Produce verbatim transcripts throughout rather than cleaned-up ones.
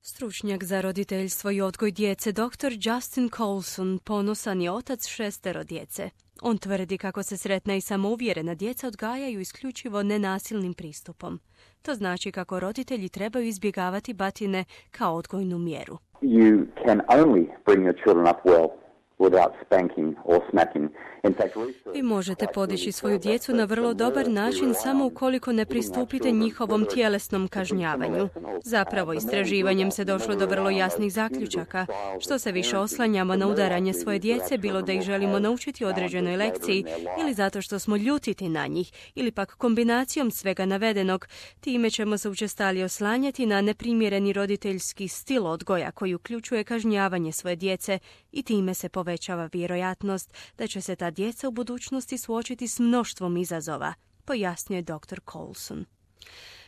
Stručnjak za roditeljstvo i odgoj djece doktor Justin Coulson ponosan je otac šestero djece. On tvrdi kako se sretna i samouvjerena djeca odgajaju isključivo nenasilnim pristupom. To znači kako roditelji trebaju izbjegavati batine kao odgojnu mjeru. You can only bring your children up well without spanking or smacking. In fact, Vi možete podići svoju djecu na vrlo dobar način samo ukoliko ne pristupite njihovom tjelesnom kažnjavanju. Zapravo, istraživanjem se došlo do vrlo jasnih zaključaka. Što se više oslanjamo na udaranje svoje djece, bilo da ih želimo naučiti određenoj lekciji ili zato što smo ljutiti na njih, ili pak kombinacijom svega navedenog, time ćemo se učestalije oslanjati na neprimjereni roditeljski stil odgoja koji uključuje kažnjavanje svoje djece i time se povećava vjerojatnost da će se ta djeca u budućnosti suočiti s mnoštvom izazova, pojasnio je doktor Coulson.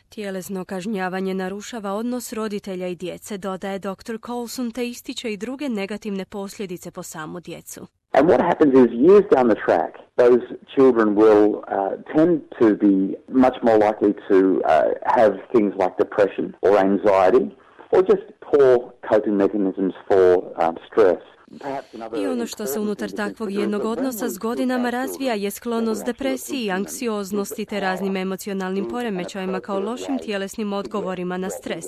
Tjelesno kažnjavanje narušava odnos roditelja i djece, dodaje doktor Coulson, te ističe i druge negativne posljedice po samu djecu. And what happens is years down the track, those children will uh, tend to be much more likely to uh, have things like depression or anxiety or just poor coping mechanisms for um, stress. I ono što se unutar takvog jednog odnosa s godinama razvija je sklonost depresiji, anksioznosti te raznim emocionalnim poremećajima kao lošim tjelesnim odgovorima na stres.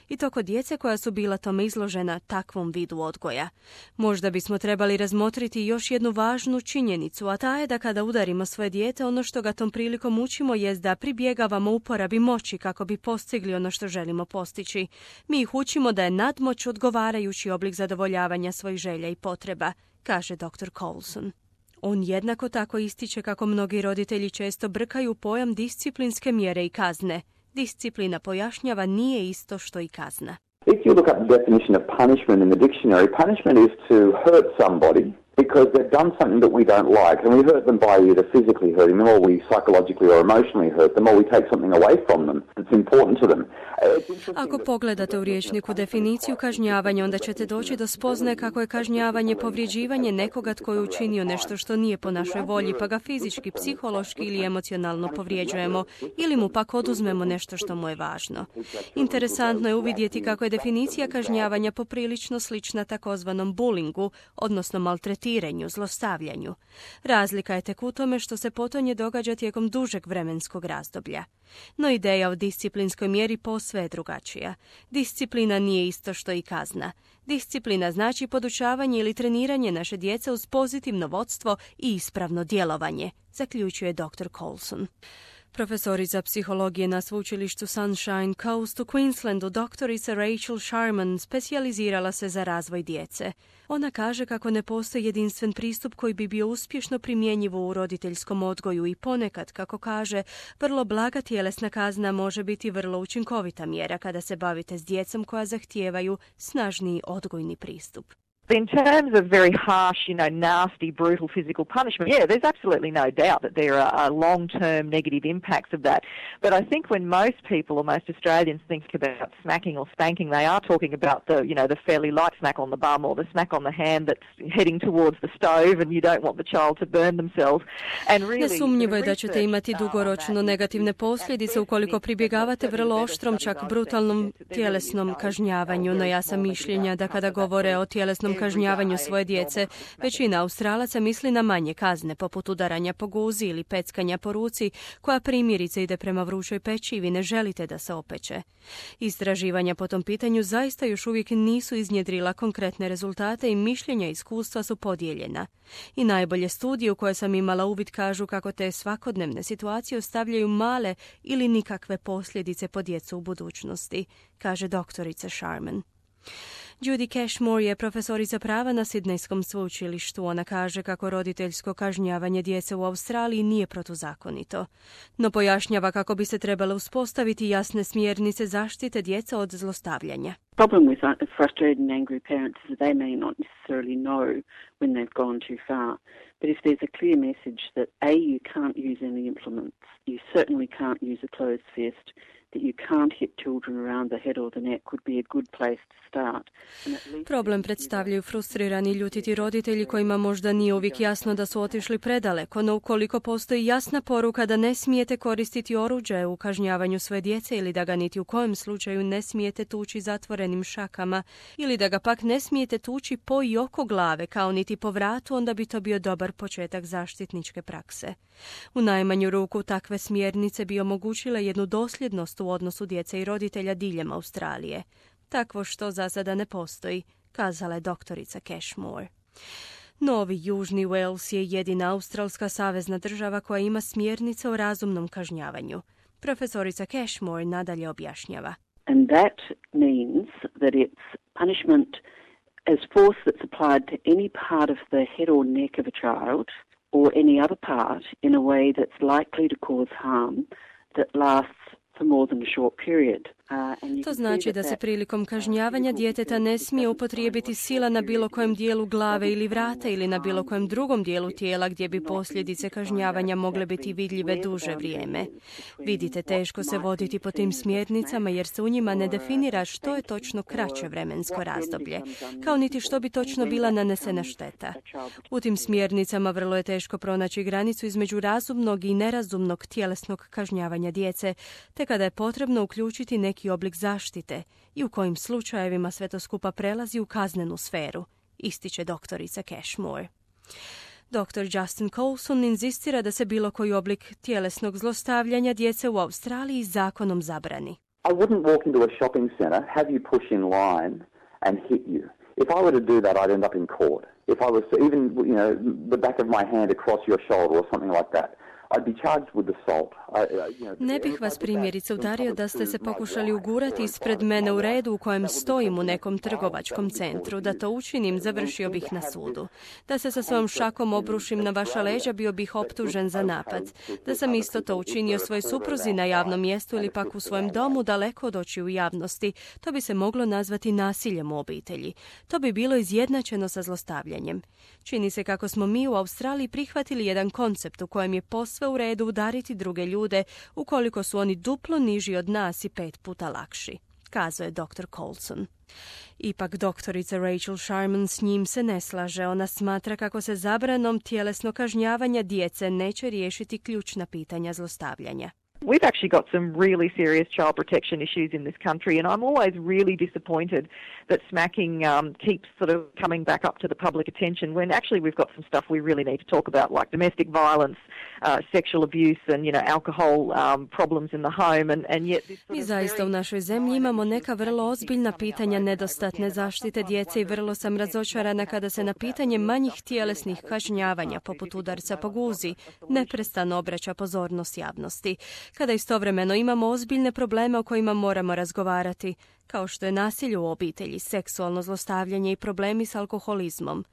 I to kod djece koja su bila tome izložena takvom vidu odgoja. Možda bismo trebali razmotriti još jednu važnu činjenicu, a ta je da kada udarimo svoje dijete, ono što ga tom prilikom učimo jest da pribjegavamo uporabi moći kako bi postigli ono što želimo postići. Mi ih učimo da je nadmoć odgovarajući oblik zadovoljavanja svojih želja i potreba, kaže doktor Coulson. On jednako tako ističe kako mnogi roditelji često brkaju pojam disciplinske mjere i kazne. Disciplina, pojašnjava, nije isto što i kazna. If you look up the definition of punishment in the dictionary, punishment is to hurt somebody because they've done something that we don't like, and we hurt them by either physically hurting them or we psychologically or emotionally hurt them or we take something away from them that's important to them. Ako pogledate u rječniku definiciju kažnjavanja, onda ćete doći do spoznaje kako je kažnjavanje povrijeđivanje nekoga tko je učinio nešto što nije po našoj volji, pa ga fizički, psihološki ili emocionalno povrijeđujemo ili mu pak oduzmemo nešto što mu je važno. Interesantno je uvidjeti kako je definicija kažnjavanja poprilično slična takozvanom bullingu, odnosno maltretiranju, zlostavljanju. Razlika je tek u tome što se potonje događa tijekom dužeg vremenskog razdoblja. No ideja o disciplinskoj mjeri posve je drugačija. Disciplina nije isto što i kazna. Disciplina znači podučavanje ili treniranje naše djece uz pozitivno vodstvo i ispravno djelovanje, zaključuje doktor Coulson. Profesorica psihologije na sveučilištu Sunshine Coast u Queenslandu, doktorica Rachel Sharman, specijalizirala se za razvoj djece. Ona kaže kako ne postoji jedinstven pristup koji bi bio uspješno primjenjiv u roditeljskom odgoju i ponekad, kako kaže, vrlo blaga tjelesna kazna može biti vrlo učinkovita mjera kada se bavite s djecom koja zahtijevaju snažniji odgojni pristup. In terms of very harsh, you know, nasty, brutal physical punishment, yeah, there's absolutely no doubt that there are, are long-term negative impacts of that. But I think when most people or most Australians think about smacking or spanking, they are talking about the, you know, the fairly light smack on the bum or the smack on the hand that's heading towards the stove and you don't want the child to burn themselves. And really, nesumnjivo je da ćete imati dugoročno negativne posljedice ukoliko pribjegavate vrlo oštrom, čak brutalnom tjelesnom kažnjavanju, no ja sam mišljenja da kada govore o tjelesnom kažnjavanju svoje djece, većina Australaca misli na manje kazne, poput udaranja po guzi ili peckanja po ruci, koja primjerice ide prema vrućoj peći i vi ne želite da se opeče. Istraživanja po tom pitanju zaista još uvijek nisu iznjedrila konkretne rezultate i mišljenja i iskustva su podijeljena. I najbolje studije u koje sam imala uvid kažu kako te svakodnevne situacije ostavljaju male ili nikakve posljedice po djecu u budućnosti, kaže doktorica Sharman. Judy Cashmore je profesorica prava na Sidnejskom sveučilištu. Ona kaže kako roditeljsko kažnjavanje djece u Australiji nije protuzakonito. No pojašnjava kako bi se trebale uspostaviti jasne smjernice zaštite djeca od zlostavljanja. Problem with frustrated and angry parents is that they may not necessarily know when they've gone too far. But if there's a clear message that A, you can't use any implements, you certainly can't use a closed fist, that you can't hit children around the head or the neck would be a good place to start. Problem predstavljaju frustrirani i ljutiti roditelji kojima možda nije uvijek jasno da su otišli predaleko, no ukoliko postoji jasna poruka da ne smijete koristiti oruđe u kažnjavanju svoje djece ili da ga niti u kojem slučaju ne smijete tući zatvoreni staklenim šakama ili da ga pak ne smijete tući po i oko glave kao niti po vratu, onda bi to bio dobar početak zaštitničke prakse. U najmanju ruku takve smjernice bi omogućile jednu dosljednost u odnosu djece i roditelja diljem Australije. Takvo što za sada ne postoji, kazala je doktorica Cashmore. Novi Južni Wales je jedina australska savezna država koja ima smjernice o razumnom kažnjavanju. Profesorica Cashmore nadalje objašnjava. And that means that it's punishment as force that's applied to any part of the head or neck of a child or any other part in a way that's likely to cause harm that lasts for more than a short period. To znači da se prilikom kažnjavanja djeteta ne smije upotrijebiti sila na bilo kojem dijelu glave ili vrata ili na bilo kojem drugom dijelu tijela gdje bi posljedice kažnjavanja mogle biti vidljive duže vrijeme. Vidite, teško se voditi po tim smjernicama jer se u njima ne definira što je točno kraće vremensko razdoblje, kao niti što bi točno bila nanesena šteta. U tim smjernicama vrlo je teško pronaći granicu između razumnog i nerazumnog tjelesnog kažnjavanja djece, te kada je potrebno uključiti neki oblik zaštite i u kojim slučajevima sve to skupa prelazi u kaznenu sferu, ističe doktorica Cashmore. doktor Justin Coulson inzistira da se bilo koji oblik tjelesnog zlostavljanja djece u Australiji zakonom zabrani. I wouldn't walk into a shopping centre, have you push in line and hit you. If I were to do that, I'd end up in court. If I was to even, you know, the back of my hand across your shoulder or something like that. Ne bih vas primjerice udario da ste se pokušali ugurati ispred mene u redu u kojem stojim u nekom trgovačkom centru. Da to učinim, završio bih na sudu. Da se sa svojom šakom obrušim na vaša leđa, bio bih optužen za napad. Da sam isto to učinio svoj supruzi na javnom mjestu ili pak u svojem domu daleko od očiju javnosti, to bi se moglo nazvati nasiljem u obitelji. To bi bilo izjednačeno sa zlostavljanjem. Čini se kako smo mi u Australiji prihvatili jedan koncept u kojem je posve u redu udariti druge ljude ukoliko su oni duplo niži od nas i pet puta lakši, kazao je doktor Coulson. Ipak doktorica Rachel Sharman s njim se ne slaže. Ona smatra kako se zabranom tjelesno kažnjavanja djece neće riješiti ključna pitanja zlostavljanja. We've actually got some really serious child protection issues in this country, and I'm always really disappointed that smacking um, keeps sort of coming back up to the public attention when actually we've got some stuff we really need to talk about, like domestic violence, uh, sexual abuse and, you know, alcohol um, problems in the home, and, and yet this sort Mi of zaista u našoj zemlji imamo neka vrlo ozbiljna pitanja nedostatne zaštite djece i vrlo sam razočarana kada se na pitanje manjih tjelesnih kažnjavanja, poput udarca po guzi, neprestano obraća pozornost javnosti. Kada istovremeno imamo ozbiljne probleme o kojima moramo razgovarati, kao što je nasilje u obitelji, seksualno zlostavljanje i problemi s alkoholizmom.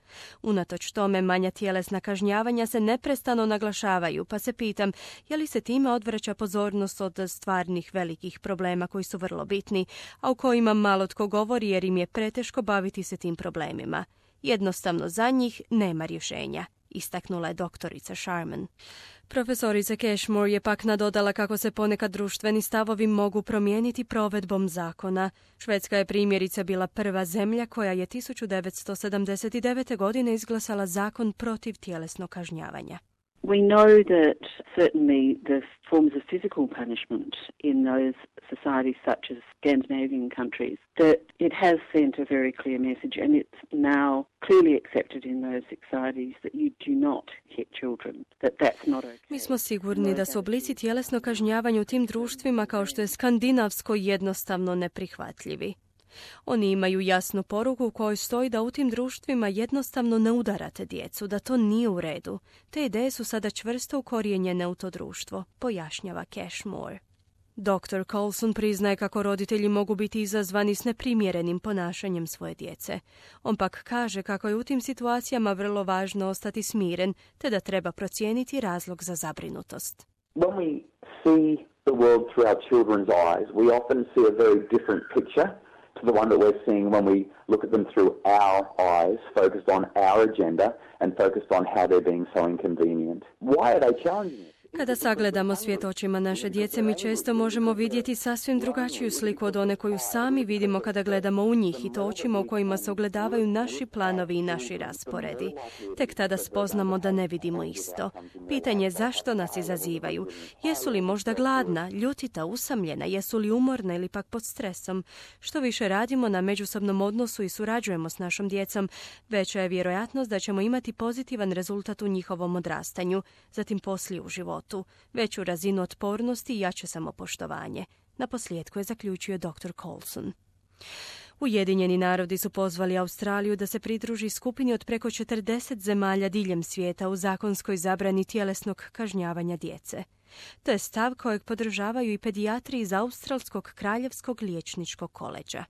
Unatoč tome, manja tjelesna kažnjavanja se neprestano naglašavaju, pa se pitam je li se time odvraća pozornost od stvarnih velikih problema koji su vrlo bitni, a u kojima malo tko govori jer im je preteško baviti se tim problemima. Jednostavno za njih nema rješenja, istaknula je doktorica Sharman. Profesorica Cashmore je pak nadodala kako se ponekad društveni stavovi mogu promijeniti provedbom zakona. Švedska je primjerice bila prva zemlja koja je tisuću devetsto sedamdeset devete. godine izglasala zakon protiv tjelesnog kažnjavanja. We know that certainly the forms of physical punishment in those societies such as Scandinavian countries, that it has sent a very clear message, and it's now clearly accepted in those societies that you do not hit children, that that's not okay. Mi smo sigurni da su oblici tjelesnog kažnjavanja u tim društvima kao što je skandinavsko jednostavno neprihvatljivi. Oni imaju jasnu poruku u kojoj stoji da u tim društvima jednostavno ne udarate djecu, da to nije u redu. Te ideje su sada čvrsto ukorijenjene u to društvo, pojašnjava Cashmore. doktor Coulson priznaje kako roditelji mogu biti izazvani s neprimjerenim ponašanjem svoje djece. On pak kaže kako je u tim situacijama vrlo važno ostati smiren, te da treba procijeniti razlog za zabrinutost. When we see the world through our children's eyes, we often see a very different picture to the one that we're seeing when we look at them through our eyes, focused on our agenda and focused on how they're being so inconvenient. Why are they challenging us? Kada sagledamo svijet očima naše djece, mi često možemo vidjeti sasvim drugačiju sliku od one koju sami vidimo kada gledamo u njih, i to očima u kojima se ogledavaju naši planovi i naši rasporedi. Tek tada spoznamo da ne vidimo isto. Pitanje je zašto nas izazivaju. Jesu li možda gladna, ljutita, usamljena, jesu li umorna ili pak pod stresom? Što više radimo na međusobnom odnosu i surađujemo s našom djecom, veća je vjerojatnost da ćemo imati pozitivan rezultat u njihovom odrastanju, zatim poslije u životu, veću razinu otpornosti i jače samopoštovanje. Naposljetku je zaključio doktor Coulson. Ujedinjeni narodi su pozvali Australiju da se pridruži skupini od preko četrdeset zemalja diljem svijeta u zakonskoj zabrani tjelesnog kažnjavanja djece. To je stav kojeg podržavaju i pedijatri iz Australskog kraljevskog liječničkog koleđa.